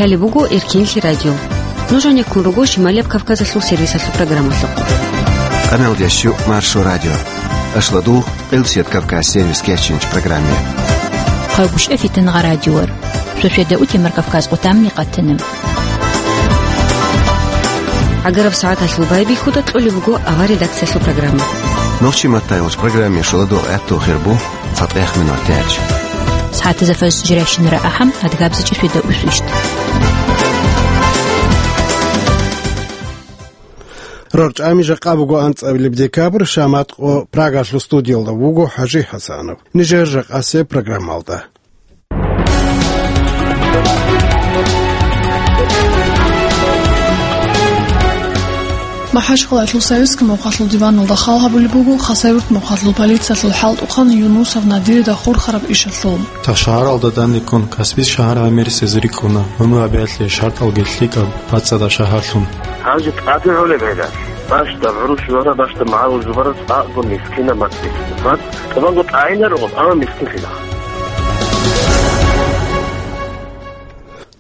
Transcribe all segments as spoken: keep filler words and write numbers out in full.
Лъалеб буго Эркенлъи радио. Нуж гьанеккун руго Шималияб Кавказалъул сервисалъул программалъухъ. Къамелдящу Маршо радио. Ашладу Къилсият Кавказ сервис кечинч программе. Хъагуш эфитан гъа радиор. Сосведа утемар Кавказ къутамни къатана. Агараб сагӀаталъул байбихьуда кьолеб буго авар редакциялъул программа. Нохчи маттайгъуч программе шуладу гӀатту хирбу. ЦатӀех минут тяч. СагӀатазда фаз жиращинара ахӀам, адгабзичӀи фида усвищт. Рорчами жакъа буго анцӀабилеб декабрь, шаматкъо Прагалъул студиялда вуго ХӀажи ХӀасанов. Нижер жакъасе программалда. МахӀачхъалаялъул Советский мухъалъул диваналда хал гьабулеб буго Хасавюрт мухъалъул полициялъул хӀалтӀухъан Юнусов Надирида хурхараб ишалъул. Та шагьаралда данде ккун, Каспийс шагьар гӀемерисез рикӀкӀуна, гӀумру гьабиялъе шартӀалги лъикӀаб бацӀцӀадаб шагьарлъун. Гьанже тӀаде гӀолеб гӀела, бащдаб гӀурущ вара, бащдаб магӀарул жубарас къаго мискинаб мацӀ. МацӀ тӀубанго тӀагӀинарогъаб, амма мискинлъила.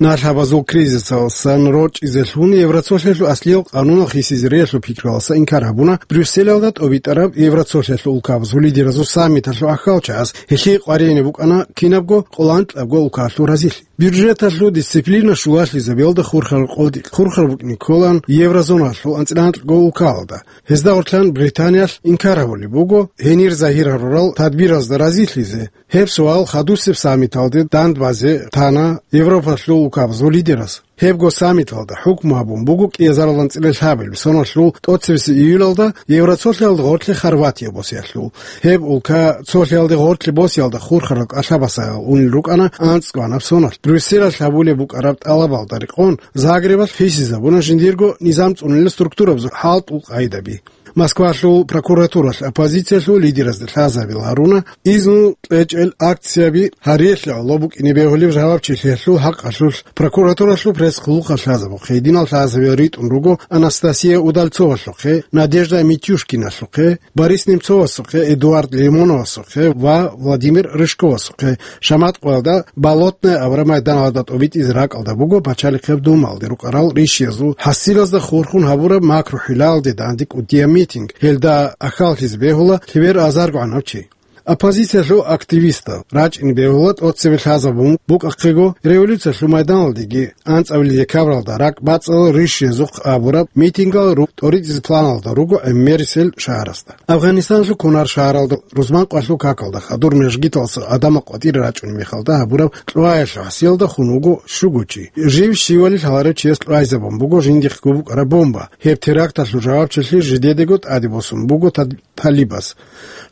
Налъабазул кризисалсан рорчӀизелъун Евроцолъиялъул аслиял къанунал хисизариялъул пикруялдаса инкар гьабуна Брюсселалда тӀобитӀараб Евроцолъиялъул улкабазул лидеразул саммиталъул ахьалчагӀаз, гьелъие къваригӀине букӀана кинабго къоло анкьабго улкалъул разилъи. Бюджеталъул дисциплина щулалъизабиялда хурхараб къотӀи хурхараб букӀине кколаан еврозоналъул анцӀила анкьго улкалда. Гьезда гъорлъан Британиялъ инкар гьабулеб буго гьенир загьир гьарурал тадбиразда разилъизе. Гьеб суал хадусеб саммиталде дандбазе тана Европалъул улкабазул лидераз. Гьебго саммиталда хӀукму гьабун буго кӀиазарал анцӀила лъабабилеб соналъул тӀоцебесеб июлалда Евроцолъиялда гъорлъе Хорватия босиялъул. Гьеб улка цолъиялде гъорлъе босиялда хурхарал кӀалъабасагӀал унел рукӀана анцӀгоанаб соналъ. Брюсселалъ гьабулеб букӀараб тӀалабалда рекъон Загребалъ хисизабуна жиндирго низам цӀунулел структурабазул хӀалтӀул къагӀидаби. Москвалъул прокуратуралъ оппозициялъул лидеразда лъазабил гьаруна, изну кьечӀел акцияби гьариялъе гӀоло букӀине бегьулеб жавабчилъиялъул хӀакъалъулъ прокуратуралъул пресс-хъулухъалъ лъазабухъе гьединал лъазабил ритӀун руго Анастасия Удальцовалъухъе, Надежда Митюшкиналъухъе, Борис Немцовасухъе, Эдуард Лимоновасухъе ва Владимир Рыжковасухъе. Шаматкъоялда Болотное абураб майданалда тӀобитӀизе ракӀалда буго Пачалихъеб Думалде рукӀарал ришиязул хӀасилазда хурхун гьабураб макрухӀилалде данде кӀудияб митинг. Гьелда ахьаллъизе бегьула лъебер азарго гӀанав чи. Оппозициялъул активистал рачӀине бегьула тӀоцебе лъазабун букӀахъего революциялъул майданалдеги анцӀабилеб декабралда ракӀбацӀцӀадал ришиязухъ абураб митингал ру-, тӀоритӀизе планалда руго гӀемерисел шагьарасда. Афганистаналъул Кунар шагьаралда рузман къвалъул какалда хадур мажгиталдаса гӀадамал къватӀире рачӀунеб мехалда гьабураб кьваялъул хӀасиялда хун вуго щуго чи. Жив щивали лъаларев чияс кьвайзабун буго жиндихъго букӀараб бомба. Гьеб теракталъул жавабчилъи жидедаго тӀаде босун буго тал-, талибас.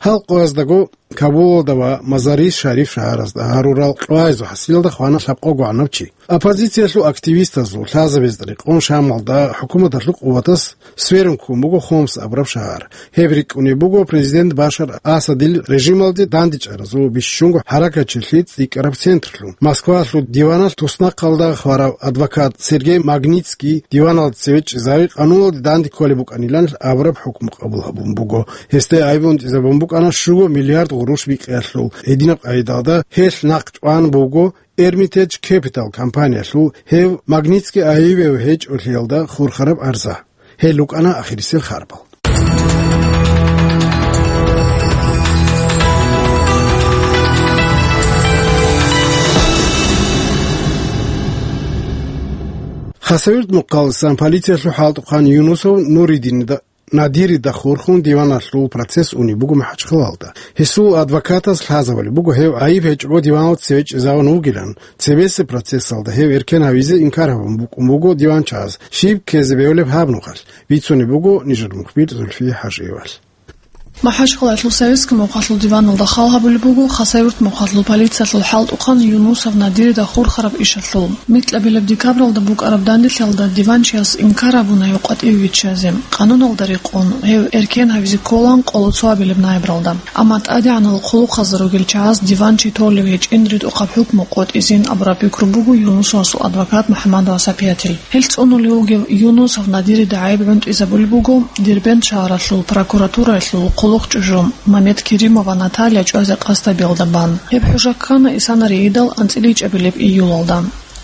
Гьал къояздаго Кабулалда ва Мазари-Шариф шагьаразда гьарурал кьвайзу хӀасилалда хвана лъабкъого гӀанав чи. Оппозициялъул активистазул лъазабазда рекъон Шамалда хӀукуматалъул къуватас сверун ккун буго Хомс абураб шагьар. Гьеб рикӀкӀунеб буго президент Башар Асадил режималде дандечӀаразул бищунго хӀаракатчилъи цӀикӀкӀараб центрлъун. Москвалъул диваналъ туснахъалда хварав адвокат Сергей Магнитский диваналда цеве чӀезави къануналде данде кколеб букӀанилан абураб хӀукму къабул гьабун буго. Гьесде гӀайиб унтӀизабун букӀана щуго миллиард гъурущ бикъиялъул. Гьединаб къагӀидалда гьелъ нахъ чӀван буго Эрмитедж Кепитал компаниялъул гьев Магнитский гӀайибав гьечӀолъиялда хурхараб арза. Гьел рукӀана ахирисел харбал. Хасавюрт мухъаласан полициялъул хӀалтӀухъан Юнусов Нуридинида Надирида хурхун диваналъул процесс унеб буго МахӀачхъалалда. Гьесул адвокатас лъазабулеб буго гьев гӀайиб гьечӀого диваналда цеве чӀезавун вугилан. Цебесеб процессалда гьев эркен гьавизе инкар гьабун букӀун буго диванчагӀаз. Щиб ккезе бегьулеб гьаб нухалъ? Бицунеб буго нижер мухбир Зульфия ХӀажиевалъ. МахӀачхъалаялъул Советский мухъалъул диваналда хал гьабулеб буго Хасавюрт мухъалъул полициялъул хӀалтӀухъан Юнусов Надирида хурхараб ишалъул. Микьабилеб декабралда букӀараб данделъиялда диванчияс инкар гьабуна гьев къватӀиве виччазе. Къануналда рекъон, гьев эркен гьавизе кколаан къоло цоабилеб ноябралда. Амма тӀадегӀанал хъулухъазда ругел чагӀаз диванчи толев гьечӀин ритӀухъаб хӀукму къотӀизин абураб пикру буго Юнусовасул адвокат МухӀаммадова Сапиятил. Гьел цӀунулев вугев Юнусов Надирида гӀайиб гӀунтӀизабулеб буго Дербент шагьаралъул прокуратураялъул хъулухъчӀужу Мамед Керимова Наталья чӀвазе къасдабиялда бан. Гьеб хӀужа ккана исанариидал анцӀила ичӀабилеб июлалда.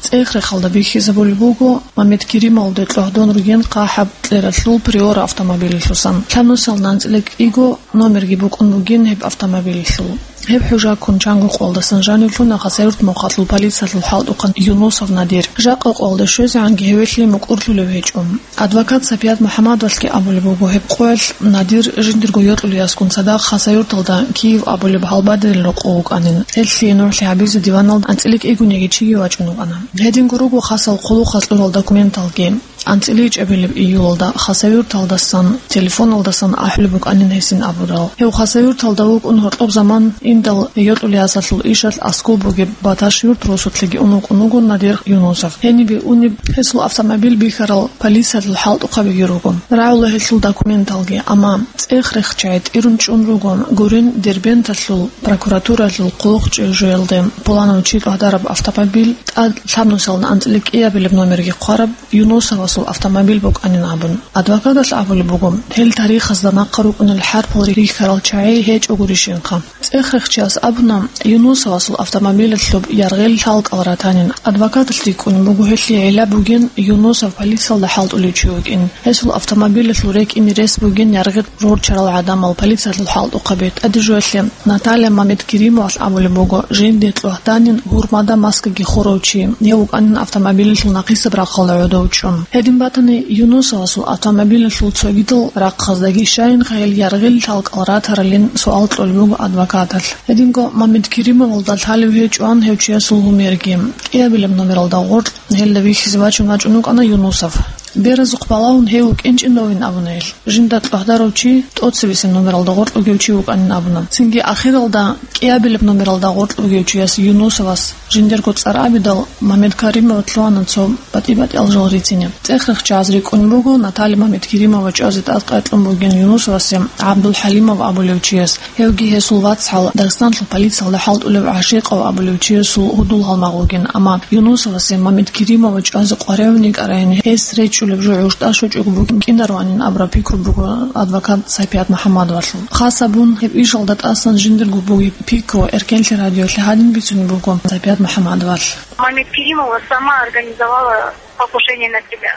ЦӀех-рехалда бихьизабулеб буго Мамед Керимовалде тӀогьдон ругин хъахӀаб кьералъул Приора автомобилалъусан. Лъабнусалда анцӀила кӀиго номерги букӀун бугин гьеб автомобилалъул. Гьеб хӀужа ккун чанго къоялдасан жанивлъуна Хасавюрт мухъалъул полициялъул хӀалтӀухъан Юнусов Надир. Жакъа къоялда щвезегӀанги гьевелъи мукӀурлъулев гьечӀо. Адвокат Сапият МухӀаммадовалъги абулеб буго, гьеб къоялъ Надир жиндирго йокьулеясгун цадахъ Хасавюрталда Киев абулеб гьалбадерил рокъов вукӀанин. Гьелъие нугӀлъи гьабизе диваналда анцӀила кӀигунеги чиги вачӀун вукӀана. Гьединго руго хасал хъулухъалъ кьурал документалги. АнцӀила ичӀабилеб июлалда Хасавюрталдасан телефоналдасан ахӀулеб букӀанин гьесин абурал. Гьев Хасавюрталда вукӀун гьоркьоб заман индал йокьулеясалъул ишалъ аскӀоб бугеб Баташ-Юрт росулъеги ун вукӀун вуго Надир Юнусов. Гьенибе унеб гьесул автомобиль бихьарал полициялъул хӀалтӀухъабиги руго. РагӀула гьелъул документалги, амма цӀех-рехчагӀи тӀирун чӀун руго гурин Дербенталъул прокуратуралъул хъулухъчӀей жоялде пуланав чи тӀагӀдараб автомобиль тӀад лъабнусалда анцӀила кӀиабилеб номерги хъвараб Юнусовасул автомобиль букӀанин абун. Адвокаталъ абулеб буго, гьел тарихазда нахъа рукӀунел хӀарпал рихьарал чагӀи гьечӀогурищ инха. ЦӀех-рехчияс абуна, Юнусовасул автомобилалъуб яргъил лъалкӀал ратанин. Адвокаталъ рикӀкӀунеб буго гьелъие гӀилла бугин Юнусов полициялда хӀалтӀулев чи вукӀин. Гьесул автомобилалъул рекӀине рес бугин яргъи рорчарал гӀадамал полициялъул хӀалтӀухъаби. ТӀаде жоялъе Наталья Мамедкеримовалъ абулеб буго, жинде тӀогьданин гьурмада маскаги хурав чи, гьев вукӀанин автомобилалъул нахъисеб рахъалда гӀодов чӀун. Гьедин батани, Юнусовасул автомобилалъул цогидал рахъаздаги щайин гьел яргъил лъалкӀал ратаралин суал кьолеб буго адвокаталъ. Гьединго Мамедкеримовалда лъалев гьечӀоан гьев чиясул гьумерги. КӀиабилеб номералда гъоркь гьелда вихьизе вачун вачӀун вукӀана Юнусов. Беразухъ балагьун гьев вукӀин чӀинавин абуна гьел. Жинда тӀагӀдарав чи тӀоцебесеб номералда гъоркь вугев чи вукӀанин абуна. Цинги ахиралда кӀиабилеб номералда гъоркь вугев чияс Юнусовас жиндирго цӀар абидал, Мамедкеримов лъугьана цо батӀи-батӀиял жал рицине. ЦӀех-рехчагӀаз рикӀкӀун буго Наталья Мамедкеримова чӀвазе тӀадкъаякьун бугин Юнусовасе ГӀабдулхӀалимов абулев чияс. Гьевги гьесул вацгӀал Дагъистанлъул полициялда хӀалтӀулев ГӀашикъов абулев чиясул гьудул-гьалмагъ вугин, амма Юнусовасе Мамедкеримова чӀвазе къваригӀун йикӀарайин, гьес речӀчӀулеб жо гӀужтӀа щочӀого букӀин кӀинарванин абураб пикру буго адвокат Сапият МухӀаммадовалъул. Хас абун, гьеб ишалда тӀасан жиндирго бугеб пикру Эркенлъи радиолъе гьадин бицунеб буго Сапият МухӀаммадовалъ. Мамедкеримова сама организовала покушение на себя.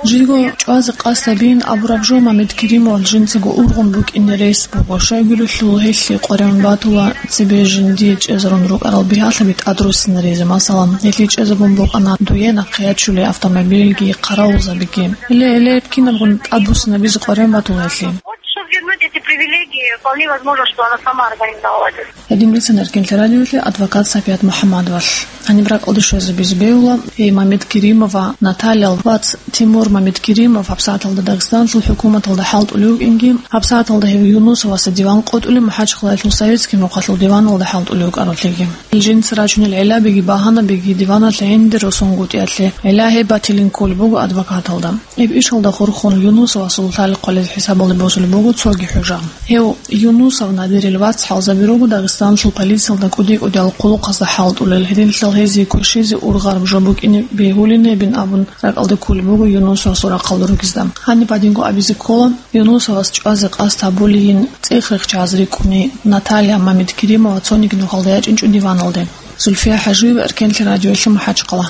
Жиго чӀвазе къасд гьабин абураб жо Мамедкеримовалъ жинцаго ургъун букӀине рес буго. Щайгурелъул гьелъие къваригӀун батула цебе жиндие чӀезарун рукӀарал бигьалъаби тӀадруссинаризе, масалан, гьелъие чӀезабун букӀана дуе нахъе ячулей автомобильги, хъаравулзабиги. Гьеле-гьеле кинабгун тӀадбуссинабизе къваригӀун батула гьелъие. Вот, чтоб вернуть эти привилегии, вполне возможно, что она сама организовала это. Гьедин бицана Эркенлъи радиолъе адвокат Сапият МухӀаммадовалъ. Гьаниб ракӀалде щвезабизе бегьула, гьей Мамедкеримова Натальял вац Тимур Мамедкеримов гьабсагӀаталда Дагъистанлъул хӀукуматалда хӀалтӀулев вукӀинги, гьабсагӀаталда гьев Юнусовасда диван къотӀулев МахӀачхъалаялъул Советский мухъалъул диваналда хӀалтӀулев вукӀаралъеги. Жинца рачунел гӀиллабиги багьанабиги диваналъ гӀемер росунгутӀиялъе гӀилла гьеб батилин кколеб буго адвокаталда. Гьеб ишалда хурхун Юнусовасул лъалихъ хъвалел хӀисабалде босулеб буго цоги хӀужа. Гьев Юнусов Надирил вацгӀалзаби руго Дагъистанлъул полициялда кӀуди-кӀудиял хъулухъазда хӀалтӀулел, гьединлъидал гьезие кверщизе ургъараб жо букӀине бегьулин гьебин абун ракӀалде кколеб буго Юнусовасул рахъалда ругезда. Гьаниб гьадинго абизе ккола, Юнусовас чӀвазе къасд гьабулейин цӀех-рехчагӀаз рикӀкӀуней Наталья Мамедкеримова цониги нухалда ячӀинчӀо диваналде. Зульфия ХӀажиева, Эркенлъи радиоялъе, МахӀачхъала.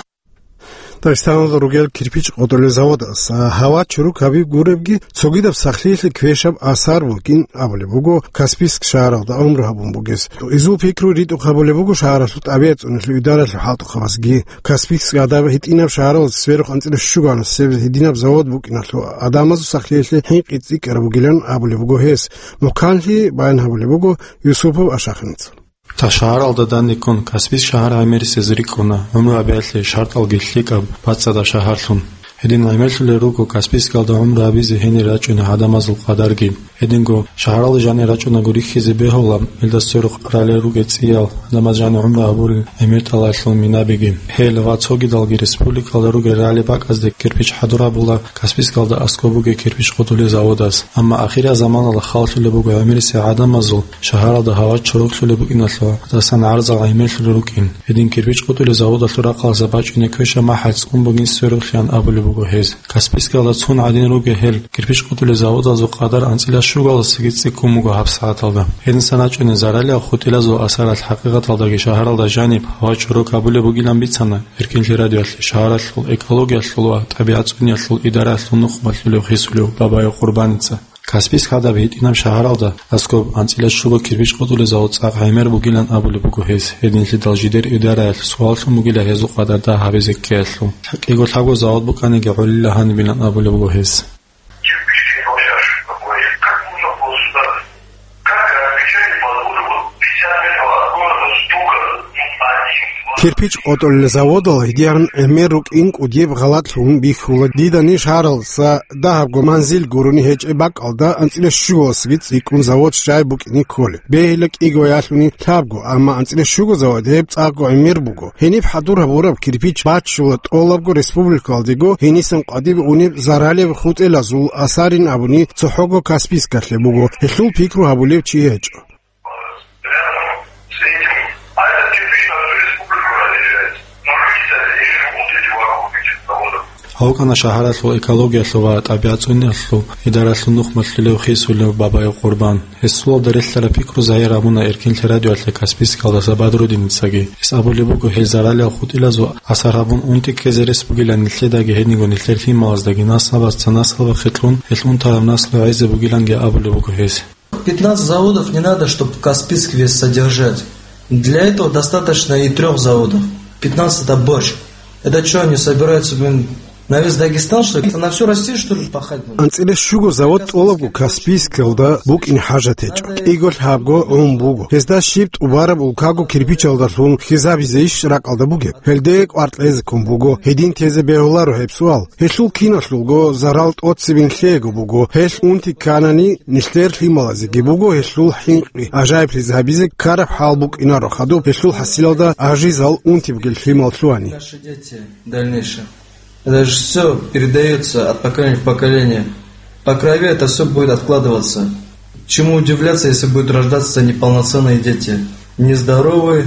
Дагъистаналда ругел кирпич къотӀулел заводас, а, гьава чурукаб гуребги, цогидаб сахлъиялъе квешаб асар букӀин абулеб буго Каспийск шагьаралда гӀумру гьабун бугес. Изул пикру ритӀухъ гьабулеб буго шагьаралъул тӀабигӀат цӀунулъул, идаралъул хӀалтӀухъабазги. Каспийск гьадаб гьитӀинаб шагьаралда сверухъ анцӀила щугана себ гьединаб завод букӀиналъул гӀадамазул сахлъиялъе хӀинкъи цӀикӀкӀараб бугилан абулеб буго гьес. Мухъанлъи баян гьабулеб буго Юсупов Ашахинца. Та шагьаралда данде ккун, Каспийск шагьар гӀемерисез рикӀкӀуна, гӀумру гьабиялъе шартӀалги лъикӀаб, бацӀцӀадаб шагьарлъун. Гьедин гӀемерлъулел руго Каспийскалда гӀумру гьабизе гьенир рачӀунел гӀадамазул къадарги. Гьединго шагьаралда жанир рачӀунаго рихьизе бегьула, гьелда сверухъ ралел ругел цӀиял гӀадамаз жанир гӀумру гьабурел гӀемер тӀалалъул минабиги. Гьел ва цогидалги республикалда ругел рагӀалил бакӀазде кирпич хӀадур гьабула Каспийскалда аскӀоб бугеб кирпич къотӀулел заводас. Амма ахирзаманалда халлъулеб буго гӀемерисел гӀадамазул шагьаралда гьава чорохлъулеб букӀиналъул, гьадасан гӀарзал гӀемерлъулел рукӀин. Гьедин кирпич къотӀулел заводалъул рахъалъа бачӀунеб квешаб махӀал цӀун бугин сверухълъиан абулеб буго гьез. Каспийскалда цун гӀадин ругел гьел кирпич къотӀулел заводазул къадар анцӀила щугаласаги цӀикӀкӀун буго гьабсагӀаталда. Гьединсан рачӀунел заралияб хутӀилазул асаралъ хӀакъикъаталдаги шагьаралда жаниб гьава чорок гьабулеб бугилан бицана Эркинлъи радиоялъе шагьаралъул экологиялъул ва тӀабигӀат цӀуниялъул идараялъул нухмалъулев хисулев Бабаев Къурбаница. Каспийск гьадаб гьитӀинаб шагьаралда аскоб анцӀила щуго кирпич къотӀулел завод цӀакъ гӀемер бугилан абулеб буго гьес, гьединлъидал жидер идараялъ суаллъун бугила гьезул къадар дагь гьабизе ккеялъул. КӀиго-лъабго завод букӀаниги гӀолила гьанибилан абулеб буго гьес. Кирпич не получаешь какой. Как можно было сюда? Как отвечать по поводу вот пятьдесят метров от города, столько, ну, один, два. Кирпич къотӀулел заводал гьедигӀан гӀемер рукӀин кӀудияб гъалатӀ лъун бихьула дида ниж гьаралса дагьабго манзил гурони гьечӀеб бакӀалда анцӀила щугаласаги цӀикӀкӀун завод щай букӀине кколеб. Бегьила кӀиго ялъуни лъабго, амма анцӀила щуго завод гьеб цӀакъго гӀемер буго. Гьениб хӀадур гьабураб кирпич баччула тӀолабго республикалдего гьенисан къватӀибе унеб заралияб хутӀилазул асарин абуни цохӀого Каспийскалъе буго, гьелъул пикру гьабулев чи гьечӀо. Гьав вукӀана шагьаралъул экологиялъул ва тӀабигӀат цӀуниялъул идаралъул нухмалъулев хисулев Бабаев Къурбан. Гьесулалда релълъараб пикру загьир гьабуна Эркинлъи радиоялъе Каспийскалдаса Бадрудиницаги. Гьес абулеб буго, гьел заралияб хутӀилазул асар гьабун унти ккезе рес бугилан нилъедаги гьединго нилъер лъималаздаги, наслабаца наслабахъе кьун, гьел унтараб наслу гӀезе бугиланги абулеб буго гьес. Пятнадцать заводов не надо, чтоб Каспийск весь содержать. Для этого достаточно и трёх заводов. Пятнадцать — это борщ. Это чё, они собираются, блин, на весь Дагестан, что ли? Это на всю Россию, что ли, пахать будут? АнцӀила щуго завод тӀолабго Каспийскалда букӀин хӀажат гьечӀо. КӀиго-лъабго гӀун буго. Гьезда щиб тӀубараб улкаго кирпичалдалъун хьизабизейищ ракӀалда бугеб? Гьелде кӀвар кьезе ккун буго. Гьедин тезе бегьуларо гьеб суал. Гьелъул киналъулго зарал тӀоцебе нилъеего буго. Гьелъ унти кканани, нилъер лъималазеги буго гьелъул хӀинкъи ажаиблъизе гьабизе ккараб хӀал букӀинаро хадуб гьелъул хӀасилалда ажизал унти бугел лъимал лъугьани. Наши дети дальнейшие. Это же всё передаётся от поколения в поколение. По крови это всё будет откладываться. Чему удивляться, если будут рождаться неполноценные дети? Нездоровые.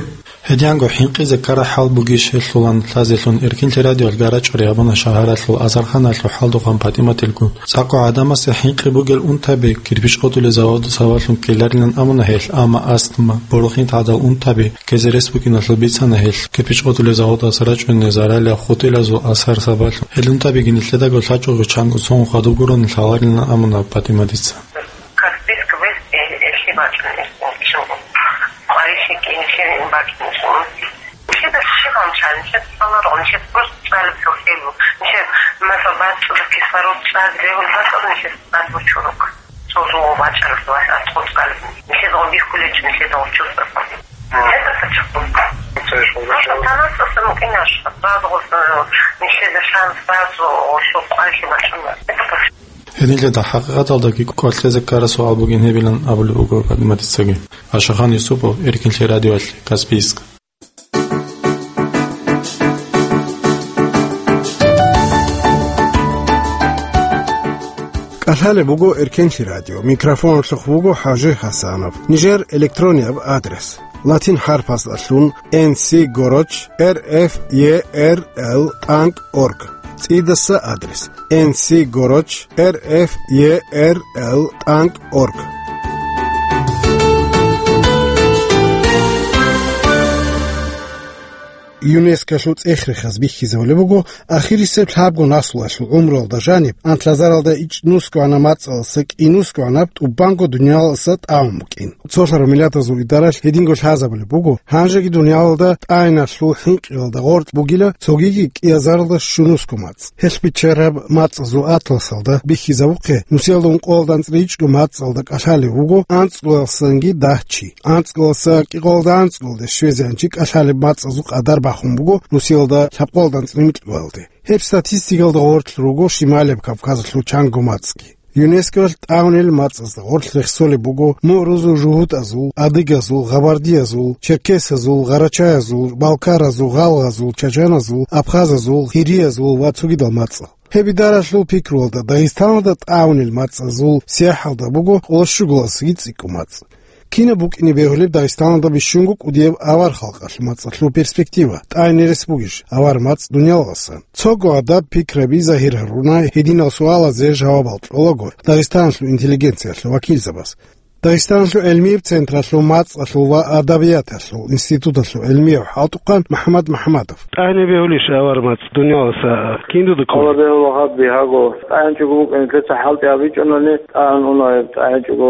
Гьединго хӀинкъизе ккараб хӀал бугищ гьелъулан лъазелъун Эркинлъи радиоялъ гарачӀори гьабуна шагьаралъул Азарханалъул хӀалдухъан ПатӀиматилгун. ЦӀакъго гӀадамасе хӀинкъи бугел унтаби кирпич къотӀулел заводалъун ккеларилан абуна гьелъ, амма астма, борхӀинтӀ гӀадал унтаби ккезе рес букӀиналъул бицана гьелъ, кирпич къотӀулел заводалъ рачӀунел заралияб хутӀилазул асар сабаблъун. Гьел унтабиги нилъедаго лъачӀого чанго цо-, цо хадуб гурони лъаларилан абуна ПатӀиматица. Каспийск вес э-, эхи бачӀун эсен чӀого. Къвариши кӀинишин бакӀинишин. Нилъеда щиб гьанча, нилъеда цӀаларгъун, нилъеда просто цӀалеб хӀухьелу. Нилъеда, масала, бацӀцӀадаб кислород цӀад регьун бацӀцӀад нилъеда цӀад бучурухъ. Цо жо бачӀараб валъ аскъо цӀалеб. Нилъеда гъо бихьулечӀо, нилъеда гъо чурсаха. Гьеда пачахъун. Просто танасдасан мукӀинаш, базгъулъун, нилъеда шанс базу, гъо лъукъ къвайхи бачӀуна. Гьединлъидал хӀакъикъаталдаги кӀвар кьезе ккараб суал бугин гьебилан абулеб буго ПатӀиматицаги. Ашахан Юсупов, Эркинлъи радиоялъе, Каспийск. КӀалъалеб буго Эркинлъи радио. Микрофоналъухъ вуго ХӀажи Гьасанов. Нижер электронияб адрес: латин хӀарпасдалъун Н С горочь Р Ф Е Р Л тӀанкӀ орг. ЦӀидаса адрес: Н С горочь Р Ф Е Р Л тӀанкӀ орг. ЮНЕСКОлъул цӀех-рехаз бихьизабулеб буго, ахирисеб лъабго наслуялъул гӀумруялда жаниб, анлъазаралда ичӀнусгоана мацӀалъа кӀинусгоанаб тӀубанго дуниялалъа тӀагӀун букӀин. Цолъараб миллатазул идаралъ гьединго лъазабулеб буго, гьанжеги дуниялалда тӀагӀиналъул хӀинкъиялда гъоркь бугила цогиги кӀиазаралда щунусго мацӀ. Гьелъ биччараб мацӀазул атласалда бихьизабухъе, нусиялда ункъоялда анцӀила ичӀго мацӀалда кӀалъалев вуго анцӀгоялдасанги дагь чи. АнцӀгоялдаса кӀикъоялда анцӀгоялде щвезегӀан чи кӀалъалеб мацӀазул къадар бахун буго нусиялда лъабкъоялда анцӀила микьгоялде. Гьеб статистикалда гъорлъ руго Шималияб Кавказалъул чанго мацӀги. ЮНЕСКОялъ тӀагӀунел мацӀазда гъорлъ рехсолеб буго мугӀрузул жугьутӀазул, адыгазул, гъабардиязул, черкесазул, гъарачаязул, балкаразул, гъалгъазул, чачаназул, абхазазул, гьириязул ва цогидал мацӀал. Гьеб идаралъул пикруялда, Дагъистаналда тӀагӀунел мацӀазул сахӀалда буго къолощугаласаги цӀикӀкӀун мацӀ. Кинаб букӀине бегьулеб Дагъистаналда бищунго кӀудияб авар халкъалъул мацӀалъул перспектива, тӀагӀине рес бугищ авар мацӀ дуниялалдасан? Цого гьадаб пикраби загьир гьаруна гьединал суалазе жавабал кьолаго Дагъистаналъул интеллигенциялъул вакилзабаз. Дагъистаналъул гӀилмияб централъул мацӀалъул ва адабияталъул институталъул гӀилмияв хӀалтӀухъан МахӀмад МахӀмадов. ТӀагӀине бегьулищ авар мацӀ дуниялалдаса? Киндуда ккола? Гьаб бигьаго, тӀагӀинчӀого букӀин нилъеца хӀалтӀи гьабичӀунани, тӀагӀин уна гьеб тӀагӀинчӀого,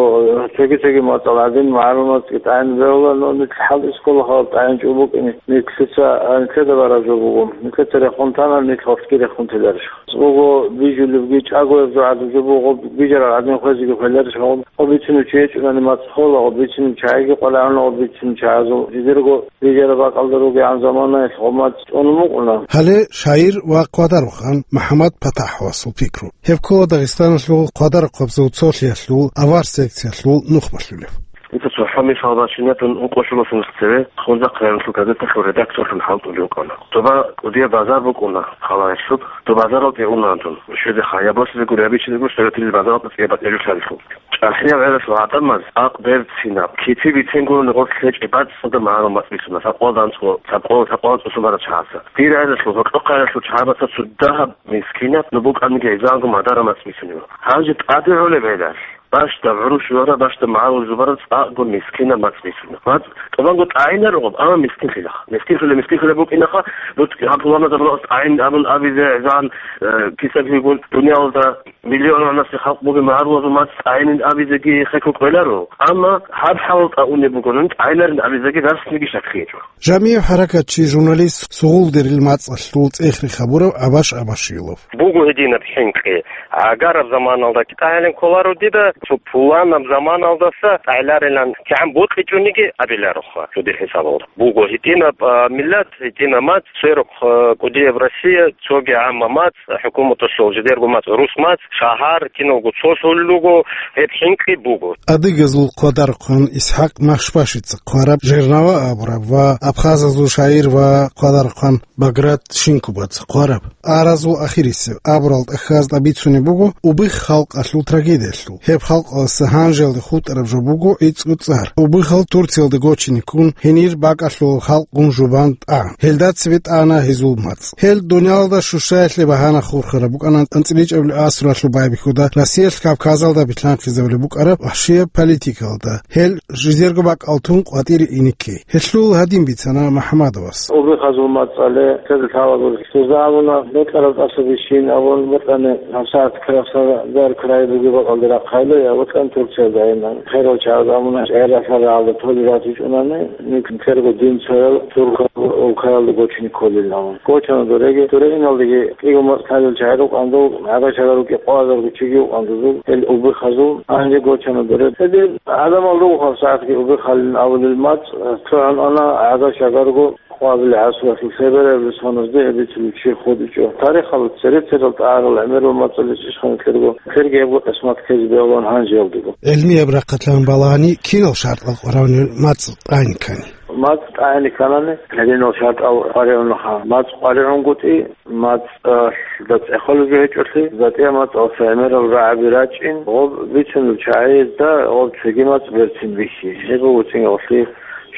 цоги-цоги мацӀал гӀадин, магӀарул мацӀги тӀагӀин бегьула, но нилъ хӀалтӀи ккола гьаб тӀагӀинчӀого букӀине. Нилъеца, нилъеда бараб жо буго. Нилъеца рехун тана, нилъ гьоркьги рехун теларищ? Цого бижулебги чӀагояб жо гӀадаб жо буго, бижарал гӀадин хвезеги хвеларищ? Гьаб бицунев чи гьечӀунани мацӀ хола, гьаб бицунев чагӀиги къваларана, гьаб бицунев чагӀазул жидерго бижараб бакӀалда ругегӀан заманаялъ гьаб мацӀ цӀунун букӀуна. Гьале шагьир ва хъвадарухъан МахӀмад ПатахӀовасул пикру. Гьеб ккола Дагъистаналъул хъвадарахъабазул цолъиялъул, авар секциялъул нух балъулев. Дица цохӀо мисал бачинатун, ункъо-щулалъ нух цеве Хунзахъ районалъул газеталъул редакторлъун хӀалтӀулев вукӀана. Доба кӀудияб базар букӀуна халаялъуб. Доб базаралде унаан дун, щвезе хаяблъизе гури абичине гури, советилил базаралда цӀияб батӀияб жо лъалелъул. ЧӀахӀиял гӀелалъул гӀадамаз акъ берцинаб, кити бицен гурони гъорлъ гьечӀеб бацӀцӀадаб магӀарул мацӀ бицуна, лъабкъоялда анцӀго, лъабкъоялда, лъабкъоялда анцӀго цӀусун бараб чагӀаца. Дир гӀелалъул, гьоркьохъа гӀелалъул чагӀазда цо дагьаб мискинаб, нух букӀаниги гьезда анцӀго мадараб мацӀ бицунеб. Гьанже тӀаде гӀолеб гӀелалъ, бащдаб гӀурущ жугьараб, бащдаб магӀарул жубараб цӀакъго мискинаб мацӀ бицуна. МацӀ тӀубанго тӀагӀинарухъ, амма мискинлъила. Мискинлъула, мискинлъула букӀинаха, бут гьаб гьуламазда тӀагӀин абун абизе гьезан, э, кисаблъигун дуниялалда миллионанасе халкъ бугеб магӀарулазул мацӀ тӀагӀинин абизеги хехго кӀвеларо. Амма гьаб хӀалалда унеб буго, нун тӀагӀинарин абизеги дарсниги щаккиячӀо. Жамияб хӀаракатчи, журналист, сугъулдерил мацӀалъул цӀех-рех гьабурав Абаш Абашилов. Буго гьединаб хӀинкъи. Гьагараб заманалда китӀа гьелин кколаро дида, цо пуланаб заманалдаса тӀагӀинарилан кигӀан бокьичӀониги абилароха, цо дир хӀисабалда. Буго гьитӀинаб, а, миллат, гьитӀинаб мацӀ, церухъ, а, кӀудияб Россия, цоги гӀамма мацӀ, хӀукуматалъул жидерго мацӀ, рус мацӀ, шагьар, киналго цолъулел руго, гьеб хӀинкъи буго. Адыгазул хъвадарухъан ИсхӀакъ Махшбашица хъвараб «Жернава» абураб ва абхазазул шагьир ва хъвадарухъан Баграт Шинкубаца хъвараб «Аразул ахирисеб» абурал тӀахьазда бицунеб буго убих халкъалъул трагедиялъул. Гьеб халкъалъ гьанжеялде хутӀараб жо буго гӀицӀго цӀар. Убихал Турциялда гочине ккун, гьенир бакӀалъул халкъ гун жубан тӀагӀан. Гьелда цебе тӀагӀана гьезул мацӀ. Гьел дуниялалда щущаялъе багьана хурхараб букӀана анцӀила ичӀабилеб асралъул байбихьуда Россиялъ Кавказалда билълъанхъизабулеб букӀараб вахӀшияб политикалда. Гьел жидерго бакӀал тун къватӀире ине ккей. Гьелъул гьадин бицана МахӀмадовас. Убихазул мацӀалъе цере лъалаго жуза абуна, бокьараб тӀаса бищин абун, бокьани гьабсагӀат Краснодарская бугеб бакӀалде рахъайла, я бокьани Турциялда гӀайилан. Херал чагӀаз абуна, гӀерасал рагӀалда толеб ратичӀунани, нилъерго динцоял туркал улкаялда гочине кколилан. Гочана дореги, дуре иналдеги кӀиго мацӀ лъалел чагӀи рукӀанду, гӀага-шагар рукӀи къвазарго чиги вукӀанду, гьел убихазул гьанже гочана дуре. Гьедин гӀадамал руго гьабсагӀатги убихалин абулел мацӀ, цо гьанана гӀага-шагарго къвабилеб гӀасулалъул лъебераб росаназде гьеб бицулев чи хутӀичӀо. Тарихалда цере-церал тӀагӀарал гӀемерал мацӀалъе ишхъан кьерго, кьерги гьебго къисмат ккезе бегьулаан гьанжеялдего. ГӀилмияб рахъалъан балагьани кинал шартӀал къваригӀунел мацӀ тӀагӀин ккани? МацӀ тӀагӀин кканани, гьединал шартӀал къваригӀунаха. МацӀ къваригӀунгутӀи, мацӀалда цӀехолеб жо гьечӀолъи, затӀияб мацӀалъа гӀемерал рагӀаби рачӀин, гъоб бицунел чагӀиязда гъоб цоги мацӀ берцин бихьи. Гьеб буго цӀинги гъолъи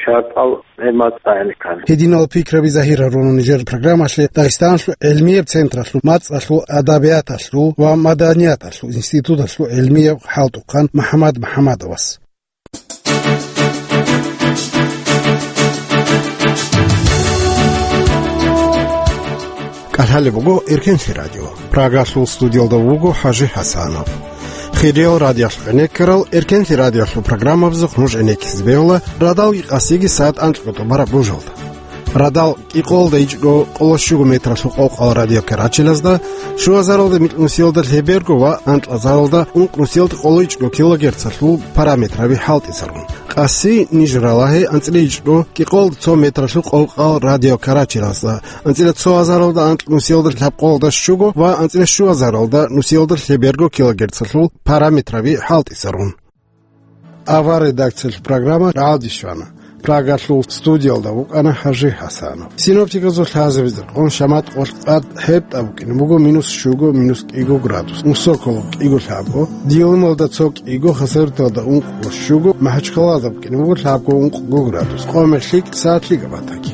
шартӀал гьеб мацӀ тӀагӀин ккани. Гьединал пикраби загьир гьаруна нижер программалъе Дагъистаналъул гӀилмияб централъул мацӀалъул, адабияталъул ва маданияталъул институталъул гӀилмияв хӀалтӀухъан МахӀмад МахӀмадовас. КӀалъалеб буго Эркенлъи радио. Прагалъул студиялда вуго ХӀажи ХӀасанов. Хириял радиоялъухъ гӀенеккарал, Эркенлъи радиоялъул программабазухъ нуж гӀенеккизе бегьула радалги къасиги сагӀат анкьго тӀубараб божалда. Радал кӀикъоялда ичӀго къоло щуго метралъул къокъал радиокарачелазда, щуазаралда микьнусиялда лъеберго ва анкьазаралда ункънусиялда къоло ичӀго килогерцалъул параметраби хӀалтӀизарун. Къаси ниж ралагье анцӀила ичӀго кӀикъоялда цо метралъул къокъал радиокарачелазда, анцӀила цо азаралда анкьнусиялда лъабкъоялда щуго ва анцӀила щуазаралда нусиялда лъеберго килогерцалъул параметраби хӀалтӀизарун. Авар редакциялъул программа рагӀалде щвана. Прагалъул студиялда вукӀана ХӀажи ХӀасанов. Синоптиказул лъазабизе рекъон, шамат къолъ тӀад гьеб тӀа букӀине буго минус щуго, минус кӀиго градус, Усоколо кӀиго лъабго, Дилималда цо кӀиго, Хасавюрталда ункъго щуго, Махачкалада букӀине буго лъабго ункъго градус, Къоме лъикӀ, саат лъикӀаб батаги.